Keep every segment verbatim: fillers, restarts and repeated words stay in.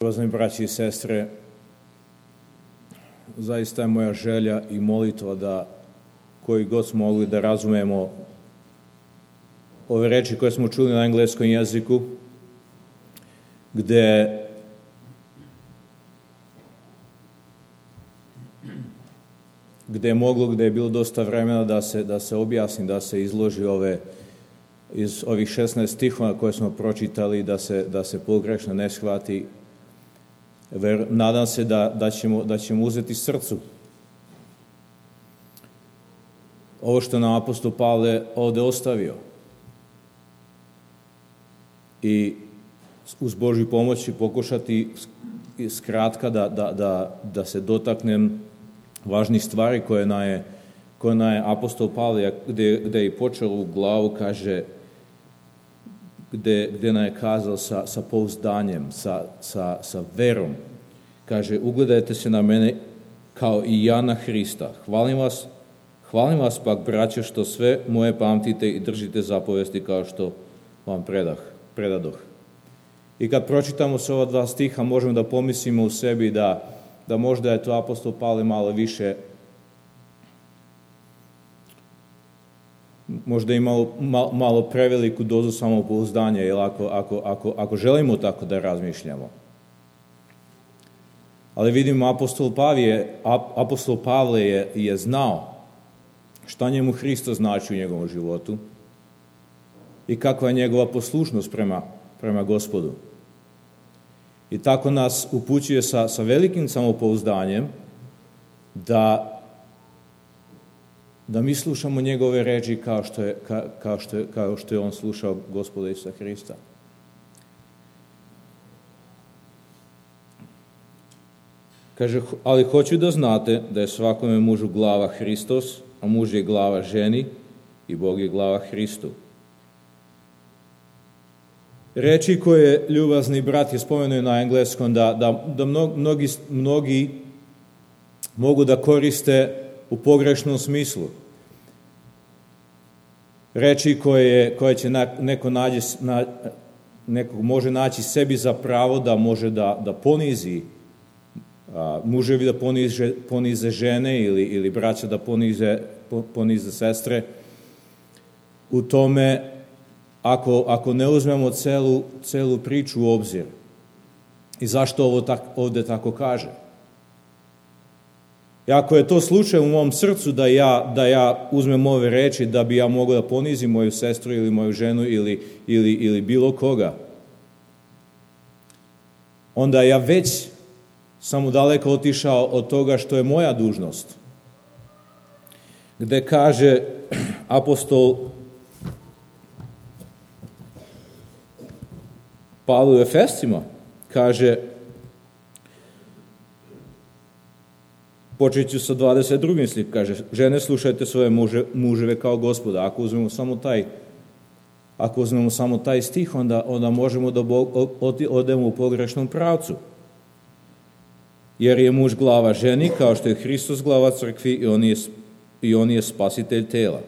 Uvaženi braći i sestre, zaista je moja želja i molitva da koji god smo mogli da razumemo ove reči koje smo čuli na engleskom jeziku, gde gde je moglo, gde je bilo dosta vremena da se, da se objasni, da se izloži ove, iz ovih šesnaest stihova koje smo pročitali, da se, da se pogrešno ne shvati. Ver, nadam se da, da, ćemo, da ćemo uzeti srcu ovo što nam apostol Pavle ovde ostavio i uz Božju pomoć pokušati skratka da, da, da, da se dotaknem važnih stvari koje nam je, koje nam je apostol Pavle, gde, gde je počeo u glavu, kaže, gde, gde nam je kazao sa, sa pouzdanjem, sa, sa, sa verom. Kaže, ugledajte se na mene kao i ja na Hrista. Hvalim vas, hvalim vas pak, braćo, što sve moje pamtite i držite zapovesti kao što vam predah, predadoh. I kad pročitamo se ova dva stiha, možemo da pomislimo u sebi da, da možda je to apostol Pavle malo više, možda i malo, malo, malo preveliku dozu samopouzdanja, jer ako, ako, ako, ako želimo tako da razmišljamo. Ali vidimo, apostol Pavle, apostol Pavle je, je znao šta njemu Hristos znači u njegovom životu i kakva je njegova poslušnost prema, prema Gospodu. I tako nas upućuje sa, sa velikim samopouzdanjem da da mi slušamo njegove reči kao što je, ka, kao što je, kao što je on slušao Gospoda Isusa Hrista. Kaže, ali hoću da znate da je svakome mužu glava Hristos, a muž je glava ženi i Bog je glava Hristu. Reči koje ljubazni brat je spomenuo na engleskom, da, da, da mnogi, mnogi mogu da koriste u pogrešnom smislu. Reči koje, koje će neko, nađe, na, neko može naći sebi za pravo da može da, da ponizi, a, muževi da ponize, ponize žene ili, ili braća da ponize, ponize sestre. U tome, ako, ako ne uzmemo celu, celu priču u obzir. I zašto ovo tak, ovde tako kaže? I ako je to slučaj u mom srcu da ja, da ja uzmem ove reči da bi ja mogao da ponizim moju sestru ili moju ženu ili, ili, ili bilo koga, onda ja već sam daleko otišao od toga što je moja dužnost. Gde kaže apostol Pavle u Efescima, kaže, počet ću sa dvadeset drugim slik, kaže, žene, slušajte svoje muže, muževe kao Gospoda. Ako uzmemo samo taj, ako uzmemo samo taj stih, onda, onda možemo da odemo u pogrešnom pravcu. Jer je muž glava ženi, kao što je Hristos glava crkvi i on je, i on je spasitelj tela.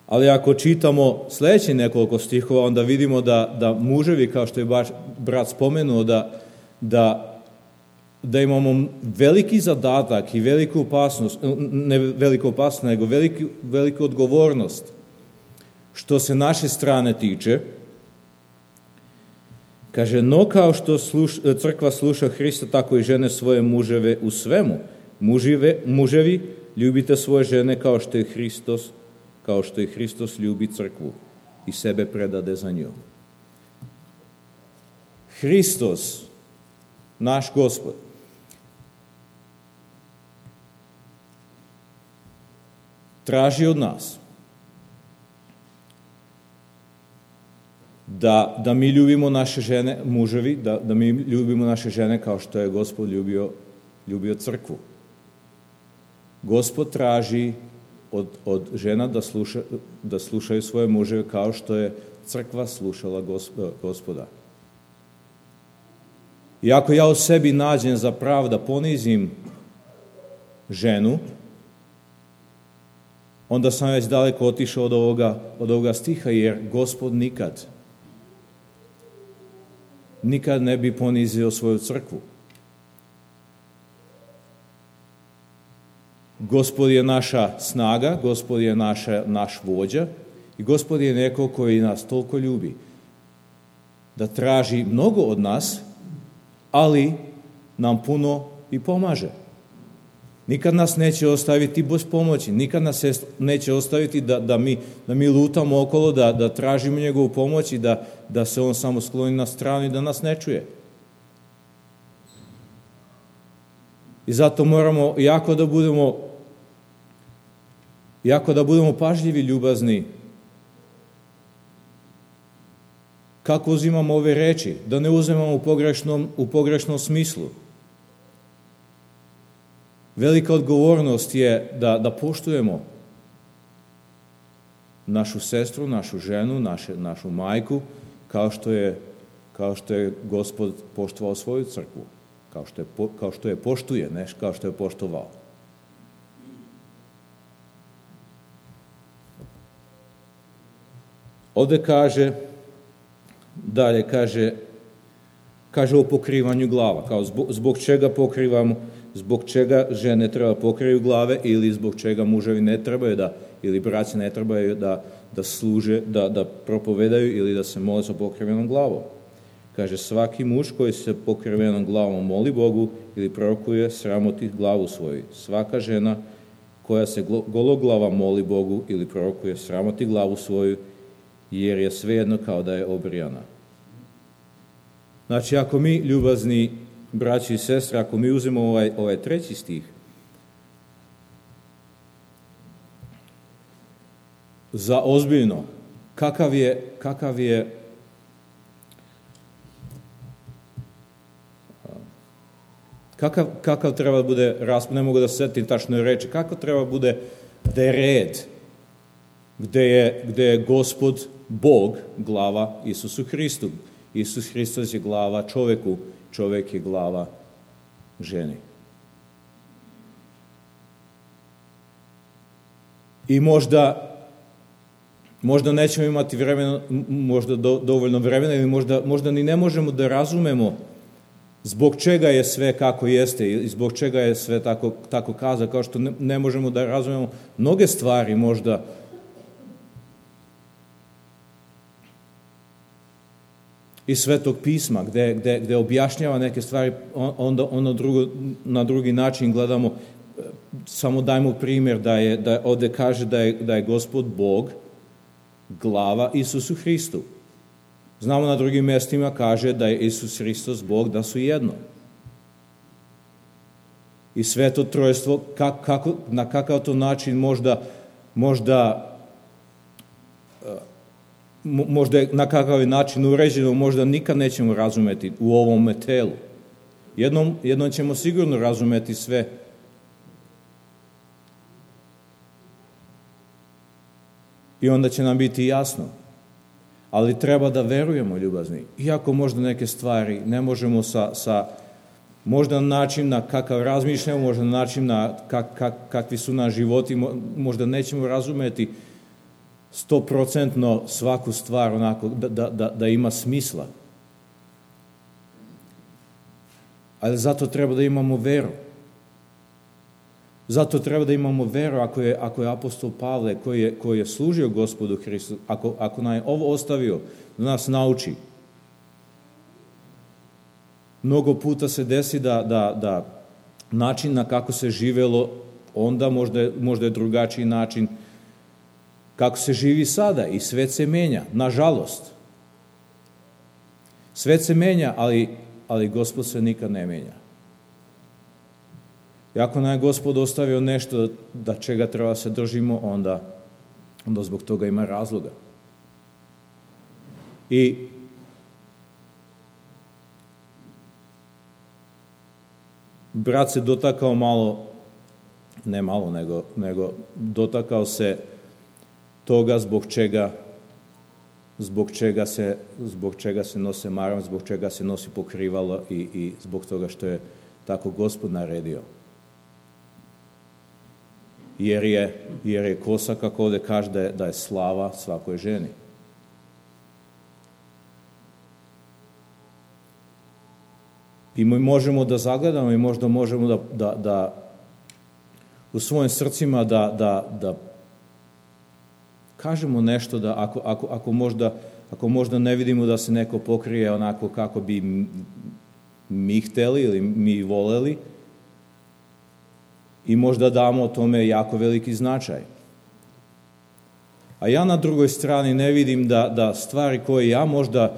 Ali ako čitamo sledeći nekoliko stihova, onda vidimo da, da muževi, kao što je baš brat spomenuo, da, da da imamo veliki zadatak i veliku opasnost, ne veliku opasnost, nego veliku, veliku odgovornost što se naše strane tiče. Kaže, no kao što sluš, crkva sluša Hrista, tako i žene svoje muževe u svemu. Mužive, muževi, ljubite svoje žene kao što je Hristos, kao što je Hristos ljubi crkvu i sebe predade za nju. Hristos, naš Gospod, traži od nas da, da mi ljubimo naše žene, muževi, da, da mi ljubimo naše žene kao što je Gospod ljubio, ljubio crkvu. Gospod traži od, od žena da, sluša, da slušaju svoje muževe kao što je crkva slušala Gospoda. I ako ja u sebi nađem za pravo da ponizim ženu, onda sam već daleko otišao od ovoga, od ovoga stiha, jer Gospod nikad nikad ne bi ponizio svoju crkvu. Gospod je naša snaga, Gospod je naša, naš vođa i Gospod je neko koji nas toliko ljubi da traži mnogo od nas, ali nam puno i pomaže. Nikad nas neće ostaviti bez pomoći, nikad nas neće ostaviti da, da, mi, da mi lutamo okolo, da, da tražimo njegovu pomoć i da, da se on samo skloni na stranu i da nas ne čuje. I zato moramo jako da budemo jako da budemo pažljivi, ljubazni. Kako uzimamo ove reči? Da ne uzimamo u pogrešnom, u pogrešnom smislu. Velika odgovornost je da, da poštujemo našu sestru, našu ženu, naše, našu majku, kao što je, kao što je Gospod poštovao svoju crkvu. Kao što je, kao što je poštuje, ne kao što je poštovao. Ovde kaže, dalje kaže, kaže o pokrivanju glava, kao zbog, zbog čega pokrivamo, zbog čega žene treba pokriju glave ili zbog čega muževi ne trebaju da, ili braći ne trebaju da, da služe, da, da propovedaju ili da se mole sa pokrivenom glavom. Kaže, svaki muž koji se pokrivenom glavom moli Bogu ili prorokuje, sramoti glavu svoju. Svaka žena koja se gologlava moli Bogu ili prorokuje, sramoti glavu svoju, jer je svejedno kao da je obrijana. Znači, ako mi, ljubazni braći i sestre, ako mi uzmemo ovaj, ovaj treći stih, za ozbiljno, kakav je, kakav je kakav, kakav treba bude, ne mogu da se setim tačno reći, kakav treba bude da je red, gde je, gde je Gospod Bog glava Isusu Hristu. Isus Hristos je glava čoveku, čovek je glava ženi. I možda, možda nećemo imati vremena, možda do, dovoljno vremena ili možda, možda ni ne možemo da razumemo zbog čega je sve kako jeste i zbog čega je sve tako, tako kaza, kao što ne, ne možemo da razumemo mnoge stvari možda iz Svetog pisma, gde, gde, gde objašnjava neke stvari, onda, onda drugo, na drugi način gledamo, samo dajmo primjer da je, da ovde kaže da je, da je Gospod Bog glava Isusu Hristu. Znamo na drugim mjestima kaže da je Isus Hristos Bog, da su jedno. I Sveto Trojstvo, kak, kako, na kakav to način možda, možda možda je na kakav način uređeno, možda nikad nećemo razumeti u ovom telu. Jednom, jednom ćemo sigurno razumeti sve. I onda će nam biti jasno. Ali treba da verujemo, ljubazni. Iako možda neke stvari ne možemo sa, sa možda na način na kakav razmišljamo, možda na način na kak, kak, kakvi su na životi, možda nećemo razumeti stoprocentno svaku stvar onako da, da, da, da ima smisla. Ali zato treba da imamo veru. Zato treba da imamo veru ako je, ako je apostol Pavle koji je, koji je služio Gospodu Hristu, ako, ako nam je ovo ostavio da nas nauči. Mnogo puta se desi da, da, da način na kako se živelo, onda možda, možda je drugačiji način kako se živi sada i svet se menja, nažalost. Svet se menja, ali, ali Gospod se nikad ne menja. I ako nam je Gospod ostavio nešto da čega treba se držimo, onda, onda zbog toga ima razloga. I brat se dotakao malo, ne malo, nego, nego dotakao se toga zbog čega zbog čega se zbog čega se nose maram, zbog čega se nosi pokrivalo i, i zbog toga što je tako Gospod naredio. Jer je, jer je kosa, kako ovdje kaže, da je, da je slava svakoj ženi. I mi možemo da zagledamo i možda možemo da, da, da u svojim srcima da, da, da kažemo nešto da ako, ako, ako, možda, ako možda ne vidimo da se neko pokrije onako kako bi mi hteli ili mi voleli i možda damo tome jako veliki značaj. A ja na drugoj strani ne vidim da, da stvari koje ja možda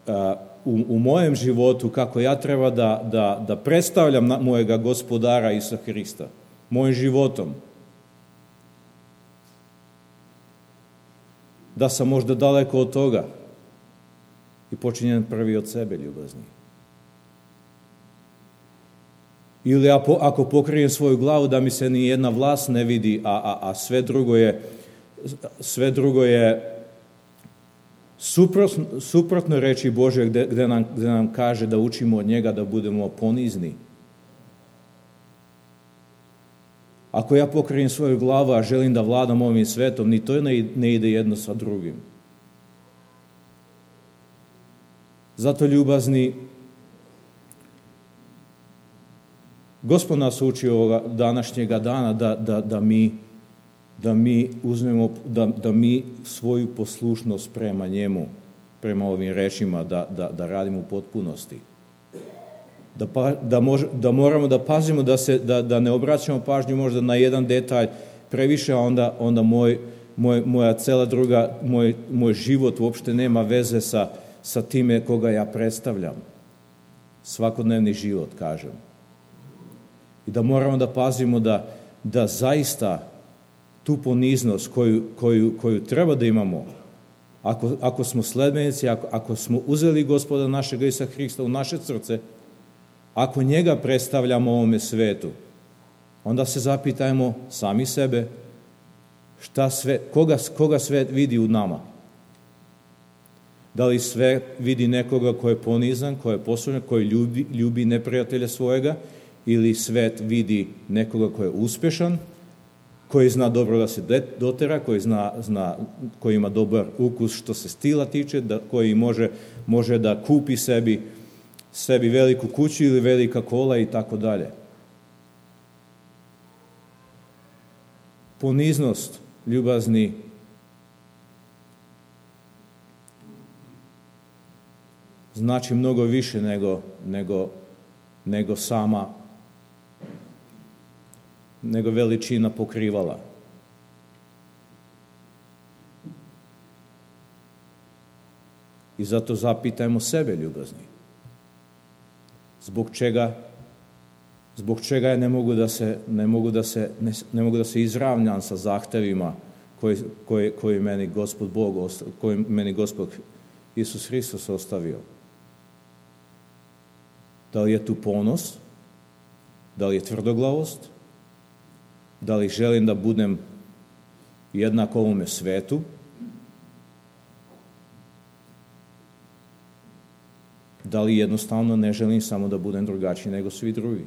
a, u, u mojem životu, kako ja treba da, da, da predstavljam na, mojega gospodara Isusa Hrista, mojim životom, da sam možda daleko od toga i počinjem prvi od sebe, ljubazni. Ili ako, ako pokrijem svoju glavu da mi se ni jedna vlas ne vidi, a, a, a sve drugo je sve drugo je suprotno, suprotno reči Božje gde, gde, nam, gde nam kaže da učimo od njega da budemo ponizni. Ako ja pokrijem svoju glavu, a želim da vladam ovim svetom, ni to ne, ne ide jedno sa drugim. Zato, ljubazni, Gospod nas uči ovoga današnjega dana da, da, da mi da mi uzmemo, da, da mi svoju poslušnost prema njemu, prema ovim rečima, da, da, da radimo u potpunosti. Da, pa, da, mož, da moramo da pazimo, da, se, da, da ne obraćamo pažnju možda na jedan detalj previše, a onda, onda moj, moj, moja cela druga, moj, moj život uopšte nema veze sa, sa time koga ja predstavljam. Svakodnevni život, kažem. I da moramo da pazimo da, da zaista tu poniznost koju, koju, koju treba da imamo, ako, ako smo sledbenici, ako, ako smo uzeli Gospoda našega Isusa Hrista u naše srce, ako njega predstavljamo ovome svetu, onda se zapitajmo sami sebe šta sve, koga, koga svet vidi u nama. Da li svet vidi nekoga ko je ponizan, ko je poslušan, koji ljubi, ljubi neprijatelja svojega, ili svet vidi nekoga ko je uspešan, koji zna dobro da se dotera, koji, zna, zna, koji ima dobar ukus što se stila tiče, da, koji može, može da kupi sebi, sebi veliku kuću ili velika kola i tako dalje. Poniznost, ljubazni, znači mnogo više nego, nego, nego sama nego veličina pokrivala. I zato zapitajmo sebe, ljubazni. Zbog čega zbog čega ja ne mogu da se ne mogu da se ne, ne mogu da se izravnjam sa zahtevima koji koji koji meni Gospod Bog koji meni Gospod Isus Hristos ostavio. Da li je tu ponos? Da li je tvrdoglavost? Da li želim da budem jednak ovome svetu? Da li jednostavno ne želim samo da budem drugačiji nego svi drugi?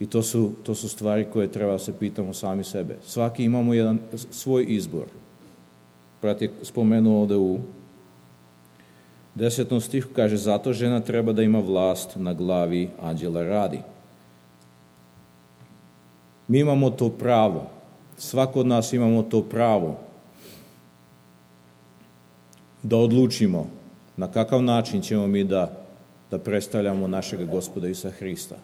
I to su, to su stvari koje treba da se pitamo sami sebe. Svaki imamo jedan svoj izbor. Brat je spomenuo ovde u desetom stihu, kaže, zato žena treba da ima vlast na glavi anđela radi. Mi imamo to pravo. Svako od nas imamo to pravo da odlučimo na kakav način ćemo mi da, da predstavljamo našeg Gospoda Isusa Hrista.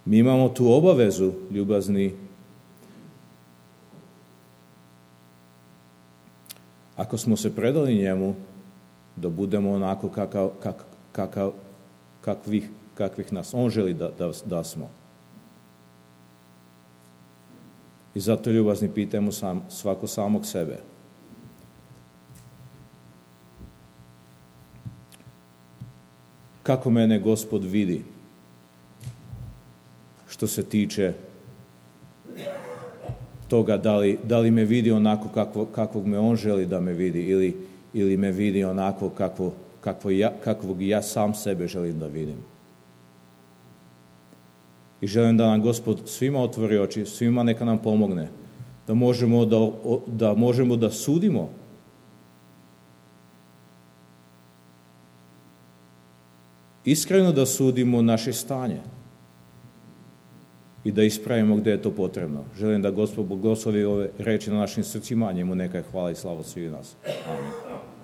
Mi imamo tu obavezu, ljubazni, ako smo se predali njemu, da budemo onako kakav, kak, kakav, kakvih, kakvih nas on želi da, da, da smo. I zato, ljubazni, pitajmo sam, svako samog sebe. Kako mene Gospod vidi što se tiče toga da li, da li me vidi onako kakvo, kakvog me on želi da me vidi ili, ili me vidi onako kakvo, kakvo ja, kakvog ja sam sebe želim da vidim. I želim da nam Gospod svima otvori oči, svima neka nam pomogne, da možemo da, da, možemo da sudimo iskreno da sudimo naše stanje i da ispravimo gde je to potrebno. Želim da Gospod blagoslovi ove reči na našim srcima, njemu neka je hvala i slava svih nas. Amen.